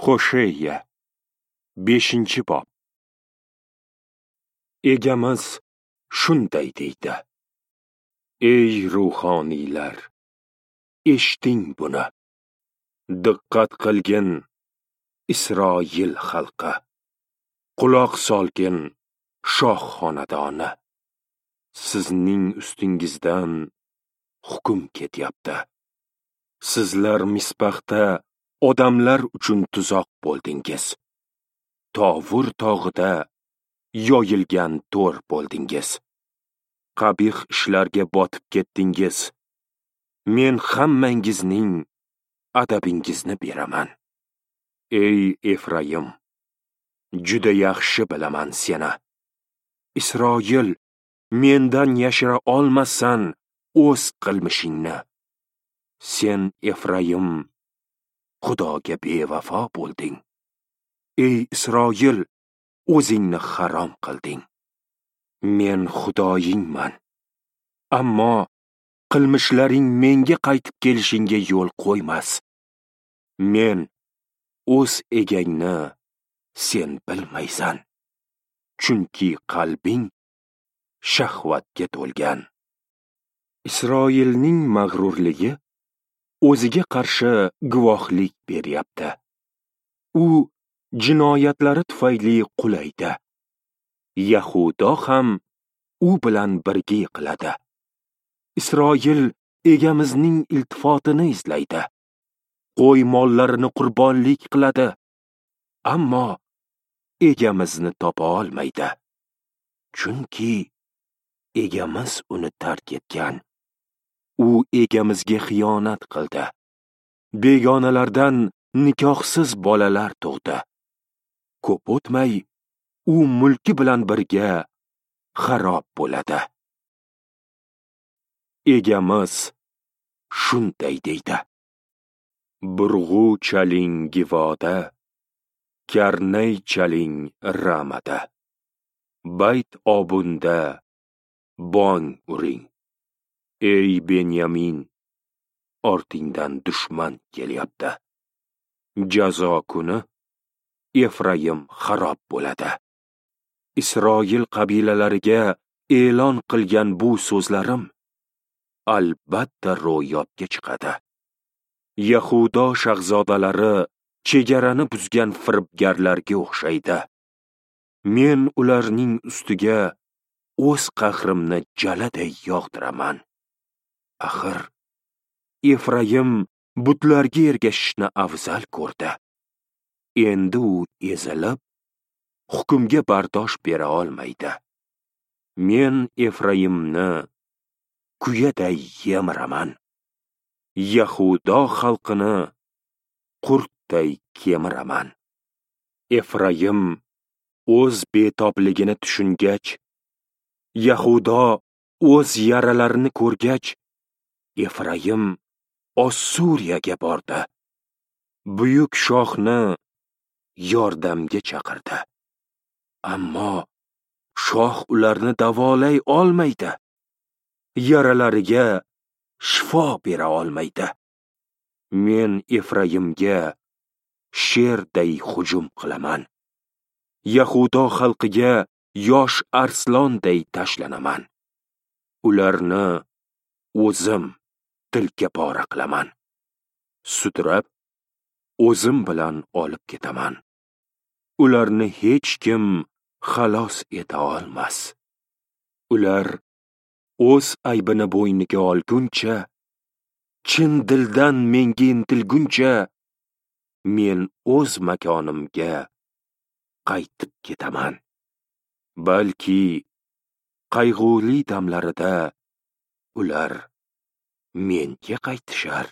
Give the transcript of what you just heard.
Hosheya 5-bob. Egamiz shunday deydi: Ey ruhoniylar, eshiting buni. Diqqat qilgin, Isroil xalqi. Quloq solgin, shoh xonadoni. Sizning ustingizdan hukm ketyapti. Sizlar Mispaxda odamlar uchun tuzoq bo'ldingiz. Tovur tog'ida yoyilgan to'r bo'ldingiz. Qabih ishlarga botib ketdingiz. Men hammangizning adabingizni beraman. Ey Efraim, juda yaxshi bilaman seni. Isroil, mendan yashira olmasan o'z qilmishingni. Sen Efraim, Xudoga bevafo bo'lding. Ey Isroil, o'zingni harom qilding. Men Xudoyingman. Ammo qilmishlaring menga qaytib kelishingga yo'l qo'ymas. Men o'z egangni sen bilmaysan. Chunki qalbing shahvatga to'lgan. Isroilning mag'rurligi o'ziga qarshi guvohlik beryapti. U jinoyatlari tufayli qulaydi. Yahudo ham u bilan birga yiqiladi. Isroil egamizning iltifotini izlaydi. Qo'y mollarini qurbonlik qiladi, ammo egamizni topa olmaydi. Chunki egamiz uni tark etgan. U egamizga xiyonat qildi. Begonalardan nikohsiz bolalar tug'di. Ko'p o'tmay u mulki bilan birga xarob bo'ladi. Egamiz shunday deydi: Burg'u chaling Givoda, karnay chaling Ramada. Bayt Obunda bong uring. Ey Benyamin, ortingdan dushman kelyapti. Jazo kuni Efraim xarob bo'ladi. Isroil qabilalariga e'lon qilgan bu so'zlarim albatta ro'yobga chiqadi. Yahudo shahzodalari chegarani buzgan firibgarlarga o'xshaydi. Men ularning ustiga o'z qahrimni jaladay yog'diraman. Axir Efraim butlarga ergashishni afzal ko'rdi. Endi u ezilib, hukmga bardosh bera olmaydi. Men Efraimni kuyaday yemiraman. Yahudo xalqini qurtday kemiraman. Efraim o'z betobligini tushungach, Yahudo o'z yaralarini ko'rgach, Efraim Ossuriyaga bordi. Buyuk shohni yordamga chaqirdi. Ammo shoh ularni davolay olmaydi. Yaralariga shifo bera olmaydi. Men Efraimga sherday hujum qilaman. Yahudo xalqiga yosh arslonday tashlanaman. Ularni o'zim tilka pora qilaman. Sudrab o'zim bilan olib ketaman. Ularni hech kim xalos eta olmas. Ular o'z aybini bo'yniga olguncha, chin dildan menga intilguncha, men o'z makonimga qaytib ketaman. Balki qayg'uli damlarida ular menga qaytishar.